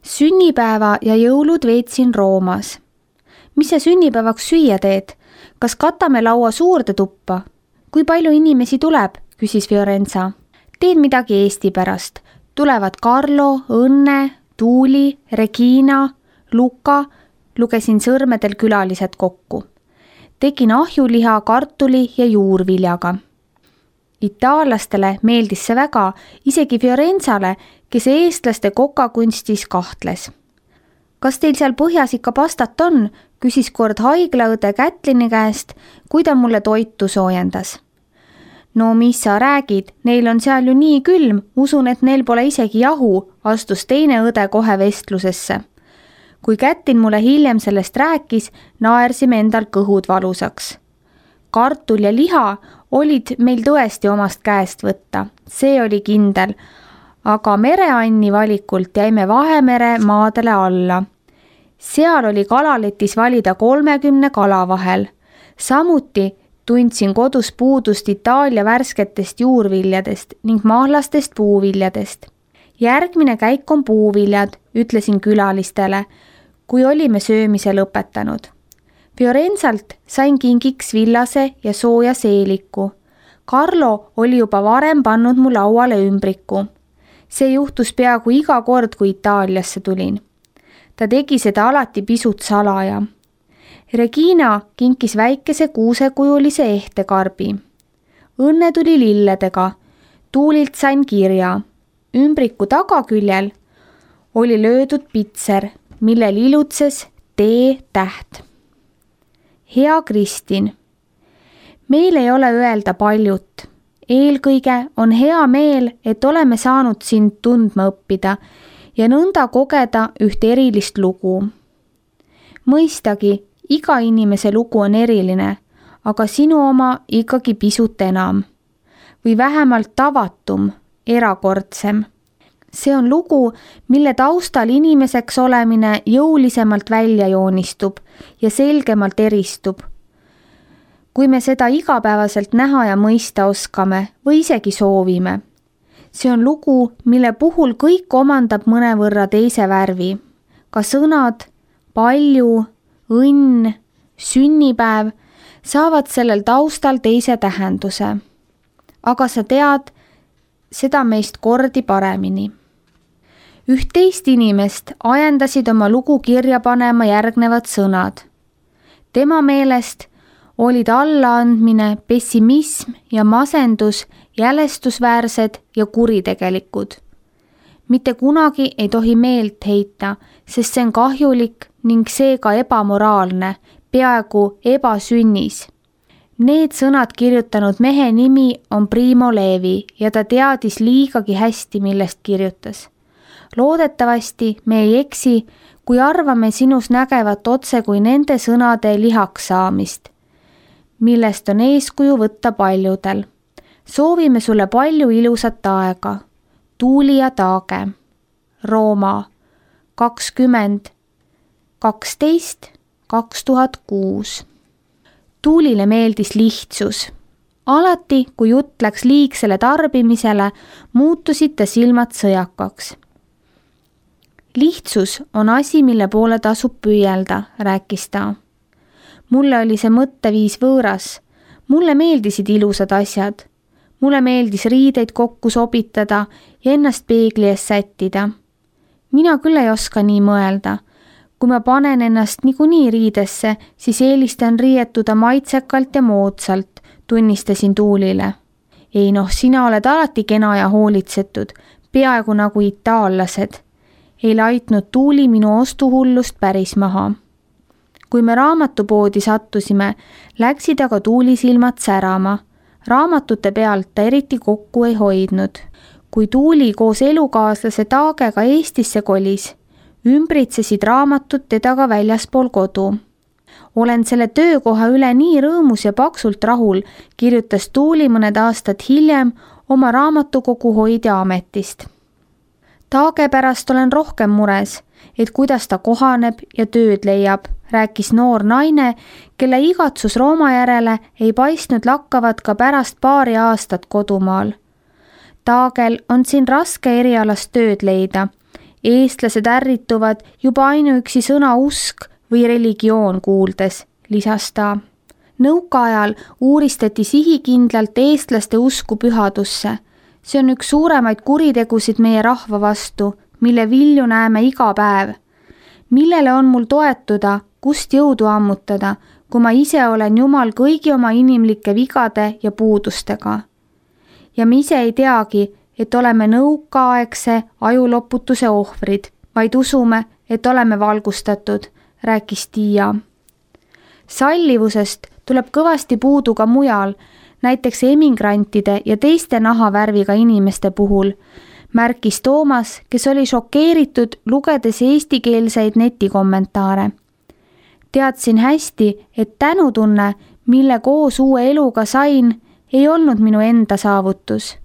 Sünnipäeva ja jõulud veetsin Roomas. Mis sa sünnipäevaks süüa teed? Kas katame laua suurde tuppa? Kui palju inimesi tuleb? Küsis Fiorenza. Teen midagi Eesti pärast. Tulevad Carlo, Õnne, Tuuli, Regina, Luka. Lugesin sõrmedel külalised kokku. Tegin ahjuliha, kartuli ja juurviljaga. Itaallastele meeldis see väga, isegi Fiorenzale, kes eestlaste kokakunstis kahtles. Kas teil seal põhjas ikka pastat on? Küsis kord haiglaõde Kätlini käest, kui ta mulle toitu soojendas. No mis sa räägid, neil on seal ju nii külm, usun, et neil pole isegi jahu, astus teine õde kohe vestlusesse. Kui Kätlin mulle hiljem sellest rääkis, naersime endal kõhud valusaks. Kartul ja liha olid meil tõesti omast käest võtta, see oli kindel, aga mereanni valikult jäime Vahemere maadele alla. Seal oli kalaletis valida 30 kala vahel. Samuti tundsin kodus puudust Itaalia värsketest juurviljadest ning mahlastest puuviljadest. Järgmine käik on puuviljad, ütlesin külalistele, kui olime söömise lõpetanud. Fiorenzalt sain kingiks villase ja sooja seeliku. Carlo oli juba varem pannud mu lauale ümbriku. See juhtus peaaegu iga kord, kui Itaaliasse tulin. Ta tegi seda alati pisut salaja. Regina kinkis väikese kuusekujulise ehtekarbi. Õnne tuli lilledega. Tuulilt sain kirja. Ümbriku tagaküljel oli löödud pitser, millel ilutses T-täht. Hea Kristin, meil ei ole öelda paljut. Eelkõige on hea meel, et oleme saanud sind tundma õppida ja nõnda kogeda üht erilist lugu. Mõistagi, iga inimese lugu on eriline, aga sinu oma ikkagi pisut enam. Või vähemalt tavatum, erakordsem. See on lugu, mille taustal inimeseks olemine jõulisemalt välja joonistub ja selgemalt eristub. Kui me seda igapäevaselt näha ja mõista oskame või isegi soovime. See on lugu, mille puhul kõik omandab mõnevõrra teise värvi. Ka sõnad, palju, õnn, sünnipäev saavad sellel taustal teise tähenduse. Aga sa tead seda meist kordi paremini. Üht teist inimest ajendasid oma lugu kirja panema järgnevad sõnad. Tema meelest olid allaandmine, pessimism ja masendus jälestusväärsed ja kuritegelikud. Mitte kunagi ei tohi meelt heita, sest see on kahjulik ning seega ebamoraalne, peaaegu ebasünnis. Need sõnad kirjutanud mehe nimi on Primo Levi ja ta teadis liigagi hästi, millest kirjutas. Loodetavasti me ei eksi, kui arvame sinus nägevat otse kui nende sõnade lihaks saamist, millest on eeskuju võtta paljudel. Soovime sulle palju ilusat aega. Tuuli ja Taage. Rooma 20.12.2006. Tuulile meeldis lihtsus. Alati, kui jutt läks liigsele tarbimisele, muutusid ta silmad sõjakaks. Lihtsus on asi, mille poole tasub püüelda, rääkis ta. Mulle oli see mõtteviis võõras. Mulle meeldisid ilusad asjad. Mulle meeldis riideid kokku sobitada ja ennast peegli ees sättida. Mina küll ei oska nii mõelda. Kui ma panen ennast niikuinii riidesse, siis eelistan riietuda maitsekalt ja moodsalt, tunnistasin Tuulile. Ei sina oled alati kena ja hoolitsetud, peaaegu nagu itaallased. Ei laitnud Tuuli minu ostuhullust päris maha. Kui me raamatupoodi sattusime, läksid aga Tuuli silmad särama. Raamatute pealt ta eriti kokku ei hoidnud. Kui Tuuli koos elukaaslase Taagega Eestisse kolis, ümbritsesid raamatud teda ka väljaspool kodu. Olen selle töökoha üle nii rõõmus ja paksult rahul, kirjutas Tuuli mõned aastad hiljem oma raamatukogu hoidja ametist. Taage pärast olen rohkem mures, et kuidas ta kohaneb ja tööd leiab, rääkis noor naine, kelle igatsus Rooma järele ei paistnud lakkavat ka pärast paari aastat kodumaal. Taagel on siin raske erialast tööd leida Eestlased ärrituvad juba ainuüksi sõna usk või religioon kuuldes, lisas ta. Nõukaajal uuristati sihikindlalt eestlaste usku pühadusse. See on üks suuremaid kuritegusid meie rahva vastu, mille vilju näeme iga päev. Millele on mul toetuda, kust jõudu ammutada, kui ma ise olen Jumal kõigi oma inimlike vigade ja puudustega. Ja me ise ei teagi, et oleme nõukaaegse ajuloputuse ohvrid, vaid usume, et oleme valgustatud, rääkis Tiia. Sallivusest tuleb kõvasti puudu ka mujal, näiteks emigrantide ja teiste nahavärviga inimeste puhul, märkis Toomas, kes oli šokeeritud lugedes eestikeelseid netikommentaare. Teadsin hästi, et tänutunne, mille koos uue eluga sain, ei olnud minu enda saavutus.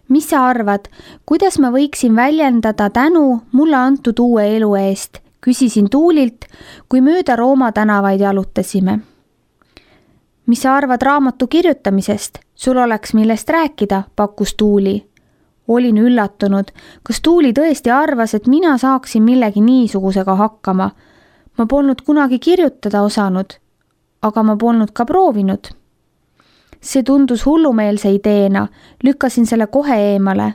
Mis sa arvad, kuidas ma võiksin väljendada tänu mulle antud uue elu eest, küsisin Tuulilt, kui mööda Rooma tänavaid jalutasime. Mis sa arvad raamatu kirjutamisest? Sul oleks millest rääkida, pakkus Tuuli. Olin üllatunud, kas Tuuli tõesti arvas, et mina saaksin millegi niisugusega hakkama. Ma polnud kunagi kirjutada osanud, aga ma polnud ka proovinud. See tundus hullumeelse ideena, lükkasin selle kohe eemale.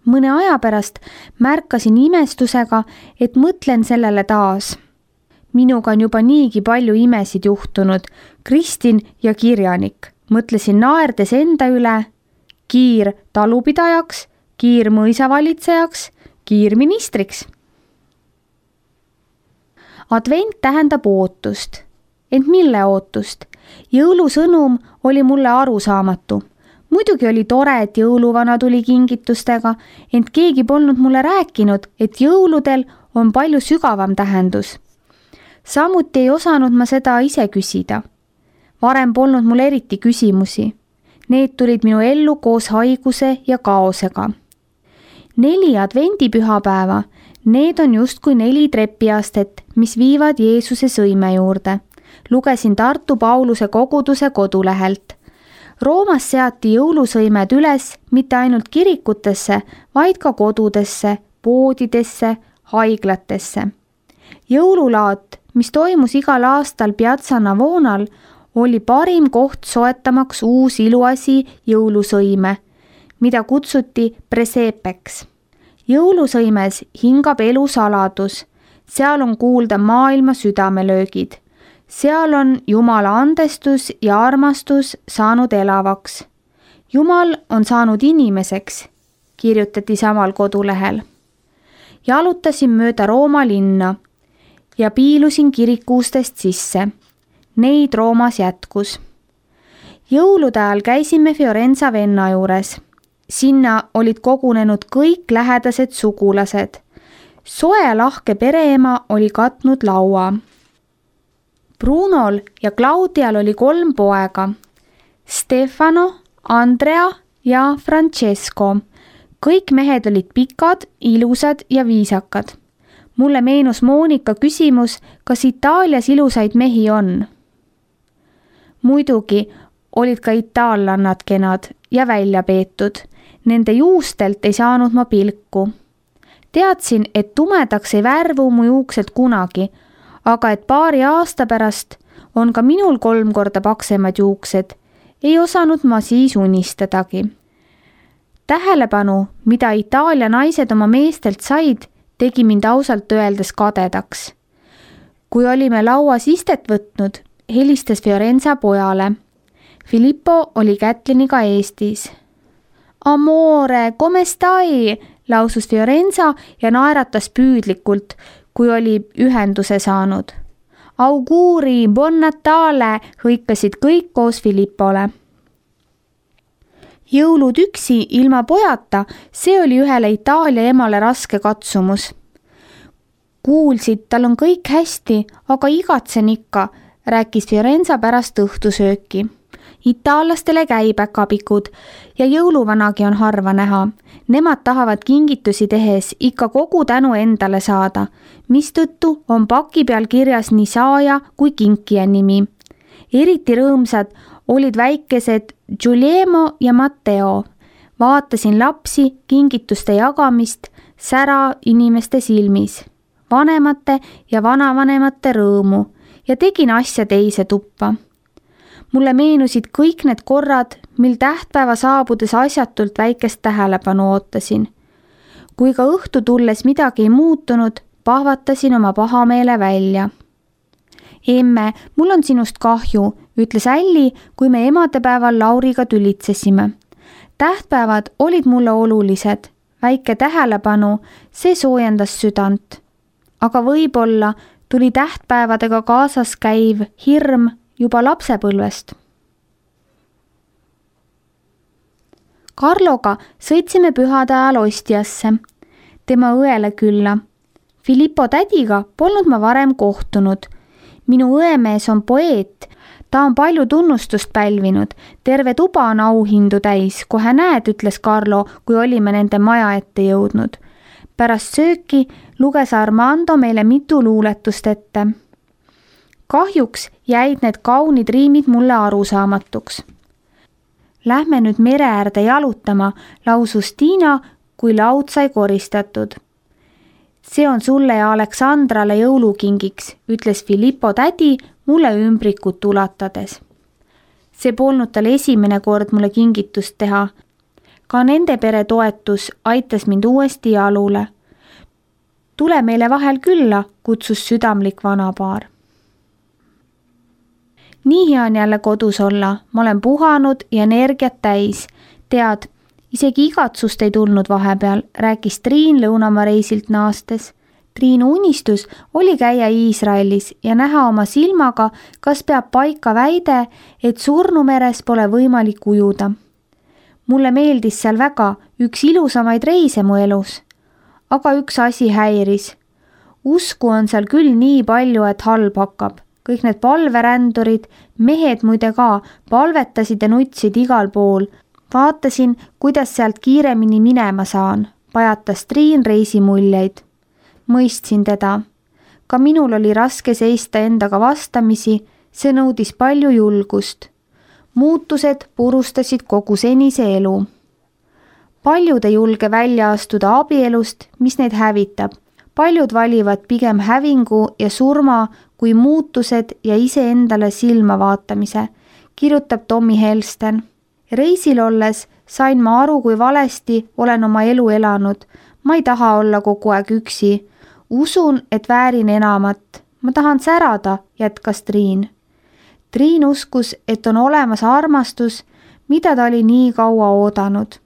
Mõne aja pärast märkasin imestusega, et mõtlen sellele taas. Minuga on juba niigi palju imesid juhtunud, Kristin ja kirjanik. Mõtlesin naerdes enda üle, Kiir talupidajaks, Kiir mõisavalitsejaks, Kiir ministriks. Advent tähendab ootust. Ent mille ootust? Jõulusõnum oli mulle arusaamatu. Muidugi oli tore, et jõuluvana tuli kingitustega, ent keegi polnud mulle rääkinud, et jõuludel on palju sügavam tähendus. Samuti ei osanud ma seda ise küsida. Varem polnud mul eriti küsimusi. Need tulid minu ellu koos haiguse ja kaosega. 4 advendipühapäeva, need on justkui 4 trepiastet, mis viivad Jeesuse sõime juurde. Lugesin Tartu Pauluse koguduse kodulehelt. Roomas seati jõulusõimed üles mitte ainult kirikutesse, vaid ka kodudesse, poodidesse, haiglatesse. Jõululaat, mis toimus igal aastal Piazza Navonal, oli parim koht soetamaks uus iluasi jõulusõime, mida kutsuti presepeks. Jõulusõimes hingab elu saladus, seal on kuulda maailma südamelöögid. Seal on Jumala andestus ja armastus saanud elavaks. Jumal on saanud inimeseks, kirjutati samal kodulehel. Jalutasin mööda Rooma linna ja piilusin kirikuustest sisse. Neid Roomas jätkus. Jõulude ajal käisime Fiorenza venna juures. Sinna olid kogunenud kõik lähedased sugulased. Soe lahke pereema oli katnud laua. Brunol ja Claudial oli 3 poega. Stefano, Andrea ja Francesco. Kõik mehed olid pikad, ilusad ja viisakad. Mulle meenus Monika küsimus, kas Itaalias ilusaid mehi on. Muidugi olid ka itaallannad kenad ja välja peetud. Nende juustelt ei saanud ma pilku. Teadsin, et tumedaks ei värvu mu juuksed kunagi, aga et paari aasta pärast on ka minul 3 korda paksemad juuksed, ei osanud ma siis unistadagi. Tähelepanu, mida Itaalia naised oma meestelt said, tegi mind ausalt öeldes kadedaks. Kui olime lauas istet võtnud, helistas Fiorenza pojale. Filippo oli Kätliniga Eestis. Amore, come stai? Lausus Fiorenza ja naeratas püüdlikult, kui oli ühenduse saanud. Auguri, buon Natale, hõikasid kõik koos Filippole. Jõulud üksi ilma pojata, see oli ühele Itaalia emale raske katsumus. Kuulsid, tal on kõik hästi, aga igatsen ikka, rääkis Fiorenza pärast õhtusööki. Itaallastele käipäkapikud ja jõuluvanagi on harva näha. Nemad tahavad kingitusi tehes ikka kogu tänu endale saada, mistõttu on paki peal kirjas nii saaja kui kinkija nimi. Eriti rõõmsad olid väikesed Giuliemo ja Matteo. Vaatasin lapsi, kingituste jagamist, sära inimeste silmis, vanemate ja vanavanemate rõõmu ja tegin asja teise tuppa. Mulle meenusid kõik need korrad, mil tähtpäeva saabudes asjatult väikest tähelepanu ootasin. Kui ka õhtu tulles midagi ei muutunud, pahvatasin oma pahameele välja. Emme, mul on sinust kahju, ütles Älli, kui me emadepäeval Lauriga tülitsesime. Tähtpäevad olid mulle olulised, väike tähelepanu, see soojendas südant. Aga võib-olla tuli tähtpäevadega kaasas käiv hirm juba lapsepõlvest. Karloga sõitsime pühade ajal Ostiasse, tema õele külla. Filippo tädiga polnud ma varem kohtunud. Minu õemees on poeet, ta on palju tunnustust pälvinud, terve tuba on auhindu täis, kohe näed, ütles Carlo, kui olime nende maja ette jõudnud. Pärast sööki luges Armando meile mitu luuletust ette. Kahjuks jäid need kaunid riimid mulle arusaamatuks. Lähme nüüd mere äärde jalutama, lausus Tiina, kui laud sai koristatud. See on sulle ja Aleksandrale jõulukingiks, ütles Filippo tädi mulle ümbrikut ulatades. See polnud tal esimene kord mulle kingitust teha. Ka nende pere toetus aitas mind uuesti jalule. Tule meile vahel külla, kutsus südamlik vanapaar. Nii hea on jälle kodus olla, ma olen puhanud ja energiat täis. Tead, isegi igatsust ei tulnud vahepeal, rääkis Triin lõunamaa reisilt naastes. Triinu unistus oli käia Iisraelis ja näha oma silmaga, kas peab paika väide, et surnumeres pole võimalik ujuda. Mulle meeldis seal väga, üks ilusamaid reise mu elus. Aga üks asi häiris. Usku on seal küll nii palju, et halb hakkab. Kõik need palverändurid, mehed muide ka, palvetasid ja nutsid igal pool. Vaatasin, kuidas sealt kiiremini minema saan, pajatas Triin reisimuljeid. Mõistsin teda. Ka minul oli raske seista endaga vastamisi, see nõudis palju julgust. Muutused purustasid kogu senise elu. Paljud ei julge välja astuda abielust, mis neid hävitab. Paljud valivad pigem hävingu ja surma kui muutused ja iseendale silma vaatamise, kirjutab Tommy Helsten. Reisil olles sain ma aru, kui valesti olen oma elu elanud. Ma ei taha olla kogu aeg üksi. Usun, et väärin enamat. Ma tahan särada, jätkas Triin. Triin uskus, et on olemas armastus, mida ta oli nii kaua oodanud.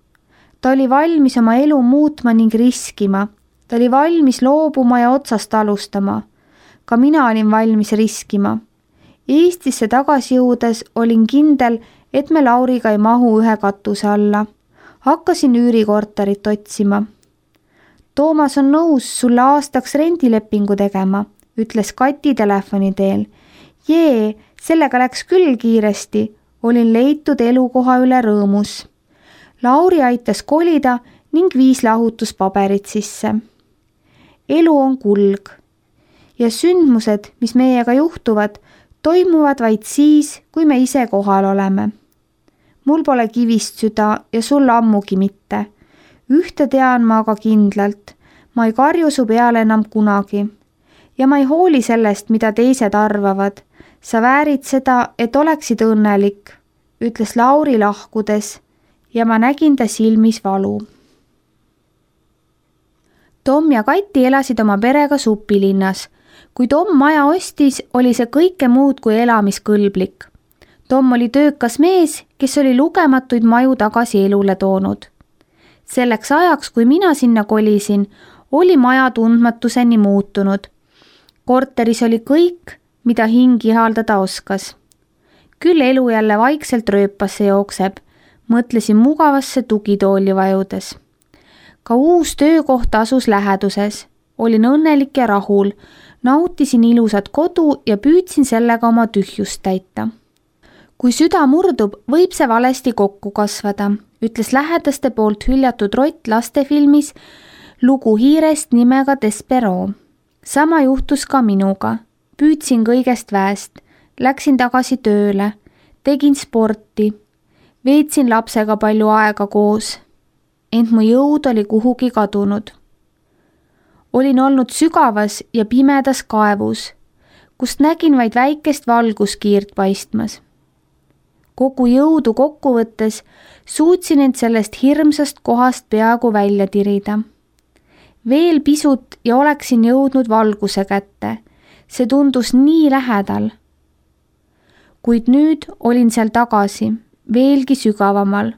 Ta oli valmis oma elu muutma ning riskima. Ta oli valmis loobuma ja otsast alustama. Ka mina olin valmis riskima. Eestisse tagasi jõudes olin kindel, et me Lauriga ei mahu ühe katuse alla. Hakkasin üürikorterit otsima. Toomas on nõus sulle aastaks rendilepingu tegema, ütles Kati telefoni teel. Jee, sellega läks küll kiiresti, olin leitud elukoha üle rõõmus. Lauri aitas kolida ning viis lahutuspaberid sisse. Elu on kulg ja sündmused, mis meiega juhtuvad, toimuvad vaid siis, kui me ise kohal oleme. Mul pole kivist süda ja sul ammugi mitte. Ühte tean ma aga kindlalt, ma ei karju su peale enam kunagi. Ja ma ei hooli sellest, mida teised arvavad. Sa väärid seda, et oleksid õnnelik, ütles Lauri lahkudes ja ma nägin ta silmis valu. Tom ja Kati elasid oma perega Supilinnas. Kui Tom maja ostis, oli see kõike muud kui elamiskõlblik. Tom oli töökas mees, kes oli lugematuid maju tagasi elule toonud. Selleks ajaks, kui mina sinna kolisin, oli maja tundmatuseni muutunud. Korteris oli kõik, mida hing ihaldada oskas. Küll elu jälle vaikselt rööpasse jookseb, mõtlesin mugavasse tugitooli vajudes. Ka uus töökoht asus läheduses. Olin õnnelik ja rahul, nautisin ilusat kodu ja püüdsin sellega oma tühjust täita. Kui süda murdub, võib see valesti kokku kasvada, ütles lähedaste poolt hüljatud rott lastefilmis lugu hiirest nimega Despero. Sama juhtus ka minuga. Püüdsin kõigest väest, läksin tagasi tööle, tegin sporti, veetsin lapsega palju aega koos. Ent mu jõud oli kuhugi kadunud. Olin olnud sügavas ja pimedas kaevus, kust nägin vaid väikest valguskiirt paistmas. Kogu jõudu kokku võttes suutsin end sellest hirmsast kohast peaaegu välja tirida. Veel pisut ja oleksin jõudnud valguse kätte. See tundus nii lähedal. Kuid nüüd olin seal tagasi, veelgi sügavamal.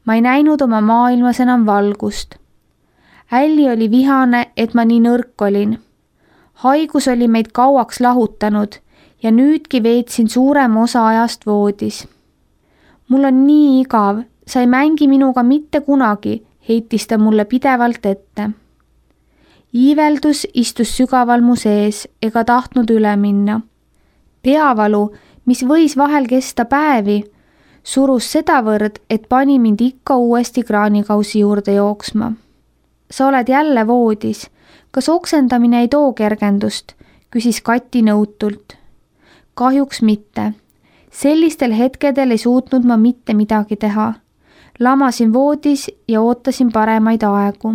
Ma ei näinud oma maailmas enam valgust. Älli oli vihane, et ma nii nõrk olin. Haigus oli meid kauaks lahutanud ja nüüdki veetsin suurema osa ajast voodis. Mul on nii igav, sa ei mängi minuga mitte kunagi, heitis ta mulle pidevalt ette. Iiveldus istus sügaval mu sees ega tahtnud üle minna. Peavalu, mis võis vahel kesta päevi, surus sedavõrd, et pani mind ikka uuesti kraanikausi juurde jooksma. Sa oled jälle voodis. Kas oksendamine ei too kergendust? Küsis Kati nõutult. Kahjuks mitte. Sellistel hetkedel ei suutnud ma mitte midagi teha. Lamasin voodis ja ootasin paremaid aegu.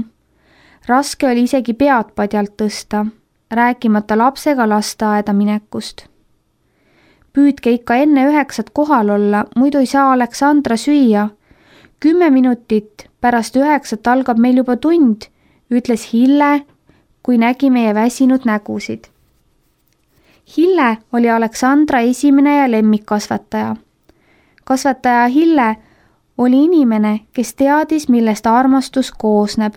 Raske oli isegi pead padjalt tõsta, rääkimata lapsega lasteaeda minekust. Püüdke ikka enne 9 kohal olla, muidu ei saa Aleksandra süüa. 10 minutit pärast 9 algab meil juba tund, ütles Hille, kui nägi meie väsinud nägusid. Hille oli Aleksandra esimene ja lemmikkasvataja. Kasvataja Hille oli inimene, kes teadis, millest armastus koosneb.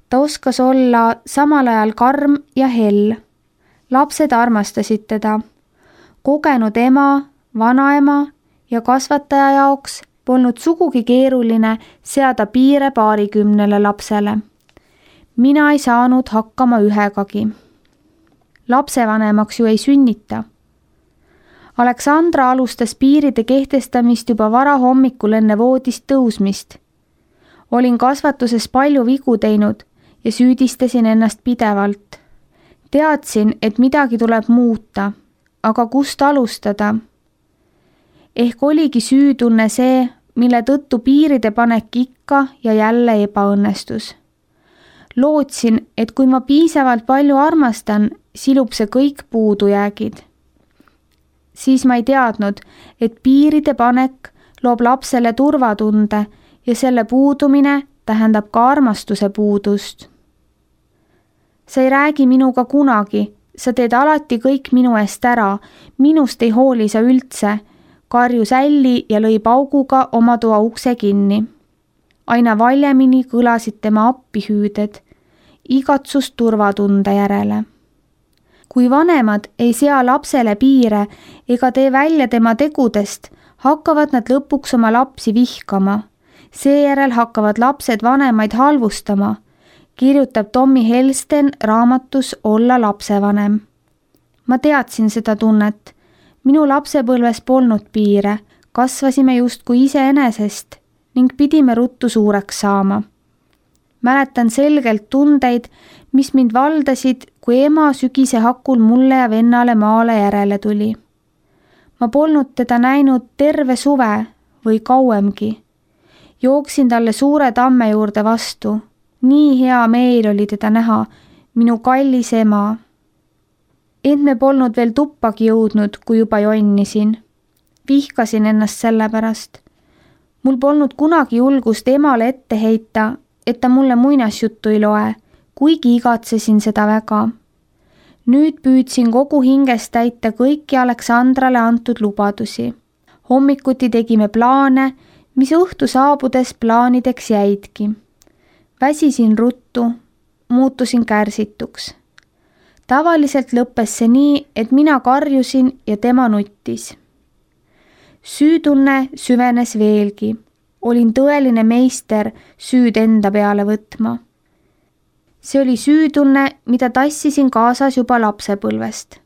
Ta oskas olla samal ajal karm ja hell. Lapsed armastasid teda. Kogenud ema, vanaema ja kasvataja jaoks polnud sugugi keeruline seada piire 20 lapsele. Mina ei saanud hakkama ühegagi. Lapsevanemaks ju ei sünnita. Aleksandra alustas piiride kehtestamist juba varahommikul enne voodist tõusmist. Olin kasvatuses palju vigu teinud ja süüdistasin ennast pidevalt. Teadsin, et midagi tuleb muuta, aga kust alustada? Ehk oligi süütunne see, mille tõttu piiride panek ikka ja jälle ebaõnnestus. Lootsin, et kui ma piisavalt palju armastan, silub see kõik puudujäägid. Siis ma ei teadnud, et piiride panek loob lapsele turvatunde ja selle puudumine tähendab ka armastuse puudust. Sa ei räägi minuga kunagi, sa teed alati kõik minu eest ära, minust ei hooli sa üldse, karjus Älli ja lõi pauguga oma toa ukse kinni. Aina valjemini kõlasid tema appihüüded, igatsust turvatunde järele. Kui vanemad ei sea lapsele piire ega tee välja tema tegudest, hakkavad nad lõpuks oma lapsi vihkama. Seejärel hakkavad lapsed vanemaid halvustama, kirjutab Tommy Helsten raamatus Olla lapsevanem. Ma teadsin seda tunnet. Minu lapsepõlves polnud piire, kasvasime justkui iseenesest ning pidime ruttu suureks saama. Mäletan selgelt tundeid, mis mind valdasid, kui ema sügise hakul mulle ja vennale maale järele tuli. Ma polnud teda näinud terve suve või kauemgi. Jooksin talle suure tamme juurde vastu. Nii hea meel oli teda näha, minu kallis ema. Ent me polnud veel tuppagi jõudnud, kui juba jonnisin. Vihkasin ennast selle pärast. Mul polnud kunagi julgust emale ette heita, et ta mulle muinasjuttu ei loe, kuigi igatsesin seda väga. Nüüd püüdsin kogu hingest täita kõiki Aleksandrale antud lubadusi. Hommikuti tegime plaane, mis õhtu saabudes plaanideks jäidki. Väsisin ruttu, muutusin kärsituks. Tavaliselt lõppes see nii, et mina karjusin ja tema nuttis. Süütunne süvenes veelgi. Olin tõeline meister süüd enda peale võtma. See oli süütunne, mida tassisin kaasas juba lapsepõlvest.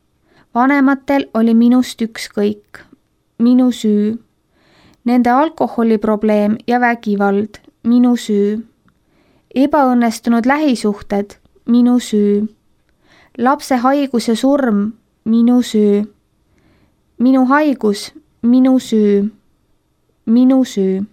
Vanematel oli minust ükskõik. Minu süü. Nende alkoholiprobleem ja vägivald. Minu süü. Ebaõnnestunud lähisuhted. Minu süü. Lapse haigus ja surm. Minu süü. Minu haigus. Minu süü. Minu süü.